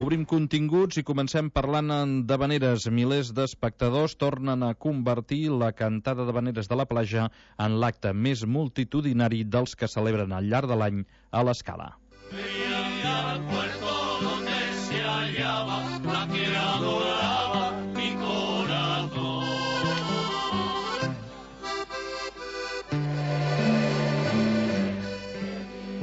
Obrim continguts i comencem parlant d'havaneres. Milers d'espectadors tornen a convertir la cantada d'havaneres de la platja en l'acte més multitudinari dels que celebren al llarg de l'any a l'Escala.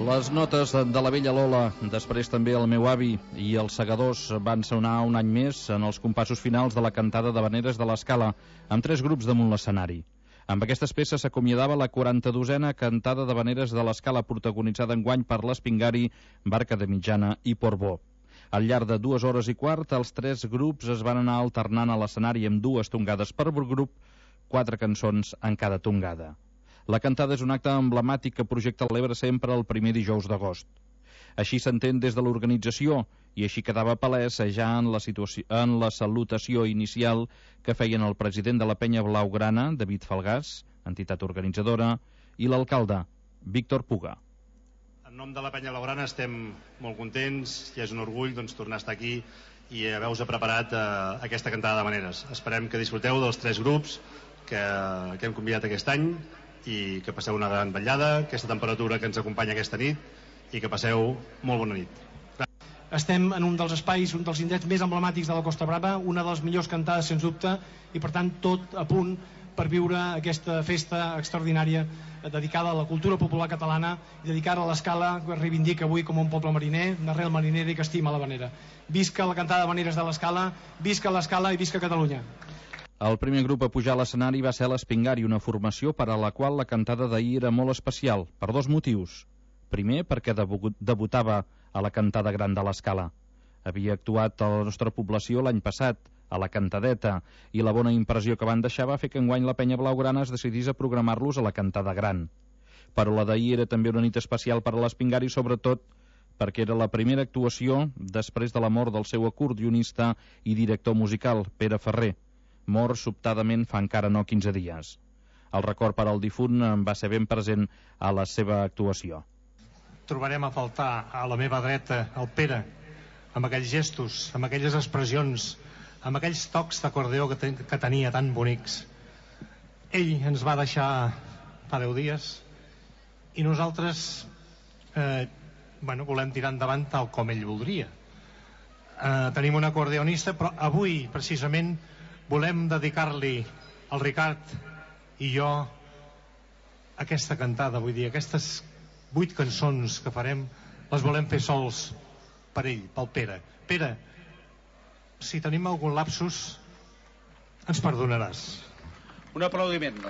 Les notes de la vella Lola, després també el meu avi i els segadors van sonar un any més en els compassos finals de la cantada d'havaneres de l'Escala, amb 3 grups damunt l'escenari. Amb aquestes peces s'acomiadava la 42a cantada d'havaneres de l'Escala, protagonitzada enguany per l'Espingari, Barca de Mitjana i Portbó. Al llarg de 2 hores i quart, els 3 grups es van anar alternant a l'escenari amb 2 tongades per grup, 4 cançons en cada tongada. La cantada és un acte emblemàtic que projecta l'Ebre sempre el primer dijous d'agost. Així s'entén des de l'organització, i així quedava palès ja en la salutació inicial que feien el president de la Penya Blaugrana, David Falgàs, entitat organitzadora, i l'alcalde, Víctor Puga. En nom de la Penya Blaugrana estem molt contents i és un orgull tornar a estar aquí i haver-vos preparat aquesta cantada d'havaneres. Esperem que disfruteu dels 3 grups que hem convidat aquest any i que passeu una gran vetllada, aquesta temperatura que ens acompanya aquesta nit, i que passeu molt bona nit. Estem en un dels espais, un dels indrets més emblemàtics de la Costa Brava, una de les millors cantades sens dubte, i per tant tot a punt per viure aquesta festa extraordinària dedicada a la cultura popular catalana i dedicada a l'Escala, que es reivindica avui com un poble mariner, d'arrel marinera i que estima l'havanera. Visca la cantada d'havaneres de l'Escala, visca l'Escala i visca Catalunya. El primer grup a pujar a l'escenari va ser l'Espingari, una formació per a la qual la cantada d'ahir era molt especial, per 2 motius. Primer, perquè debutava a la cantada gran de l'Escala. Havia actuat a la nostra població l'any passat, a la cantadeta, i la bona impressió que van deixar va fer que enguany la Penya Blaugrana es decidís a programar-los a la cantada gran. Però la d'ahir era també una nit especial per a l'Espingari, sobretot perquè era la primera actuació després de la mort del seu acordionista i director musical, Pere Ferrer, mort sobtadament fa encara no 15 dies. El record per al difunt va ser ben present a la seva actuació. Trobarem a faltar a la meva dreta el Pere, amb aquells gestos, amb aquelles expressions, amb aquells tocs d'acordeó que tenia tan bonics. Ell ens va deixar fa 10 dies i nosaltres volem tirar endavant tal com ell voldria. Tenim un acordeonista, però avui precisament volem dedicar-li al Ricard i jo aquesta cantada, vull dir, aquestes 8 cançons que farem les volem fer sols per ell, pel Pere. Pere, si tenim algun lapsus ens perdonaràs. Un aplaudiment.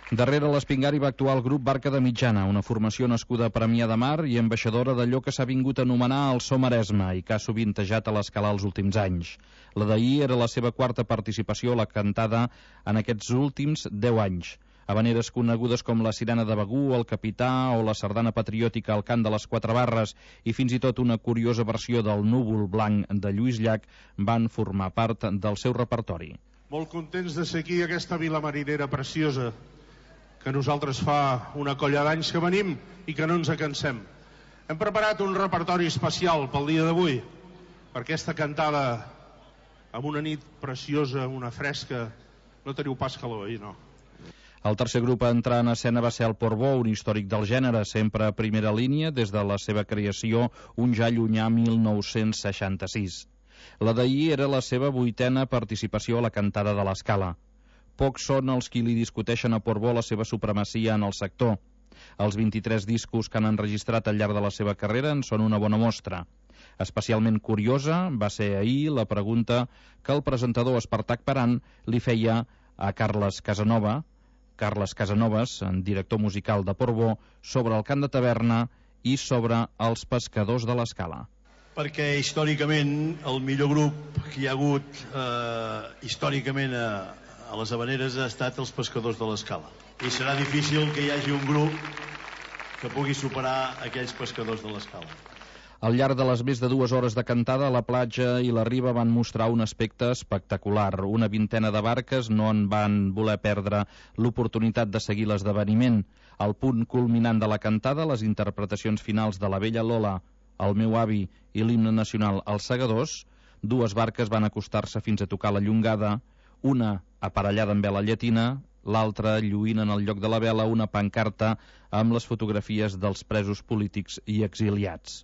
Darrere l'Espingari va actuar el grup Barca de Mitjana, una formació nascuda a Premià de Mar i ambaixadora d'allò que s'ha vingut a anomenar el So Maresme i que ha sovintejat a l'Escala els últims anys. La d'ahir era la seva 4a participació a la cantada en aquests últims 10 anys. Havaneres conegudes com la Sirena de Begú, el Capità o la sardana patriòtica al cant de les 4 barres i fins i tot una curiosa versió del Núvol Blanc de Lluís Llach van formar part del seu repertori. Molt contents de ser aquí, aquesta vila marinera preciosa, que nosaltres fa una colla d'anys que venim i que no ens cansem. Hem preparat un repertori especial pel dia d'avui, per aquesta cantada amb una nit preciosa, una fresca. No teniu pas calor, no? El tercer grup a entrar en escena va ser el Portbó, un històric del gènere, sempre a primera línia des de la seva creació un ja llunyà 1966. La d'ahir era la seva 8a participació a la cantada de l'Escala. Pocs són els qui li discuteixen a Portbó la seva supremacia en el sector. Els 23 discos que han enregistrat al llarg de la seva carrera en són una bona mostra. Especialment curiosa va ser ahir la pregunta que el presentador Espartac Paran li feia a Carles Casanovas, director musical de Portbó, sobre el cant de taverna i sobre els pescadors de l'Escala. Perquè històricament el millor grup que hi ha hagut històricament a les havaneres ha estat els pescadors de l'Escala. I serà difícil que hi hagi un grup que pugui superar aquells pescadors de l'Escala. Al llarg de les més de 2 hores de cantada, la platja i la riba van mostrar un aspecte espectacular. Una vintena de barques no en van voler perdre l'oportunitat de seguir l'esdeveniment. Al punt culminant de la cantada, les interpretacions finals de la vella Lola, El meu avi i l'himne nacional Els Segadors, dues barques van acostar-se fins a tocar la llongada, una aparellada amb vela llatina, l'altra lluint en el lloc de la vela una pancarta amb les fotografies dels presos polítics i exiliats.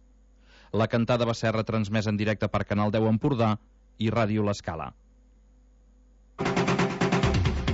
La cantada va ser retransmesa en directe per Canal 10 Empordà i Ràdio L'Escala.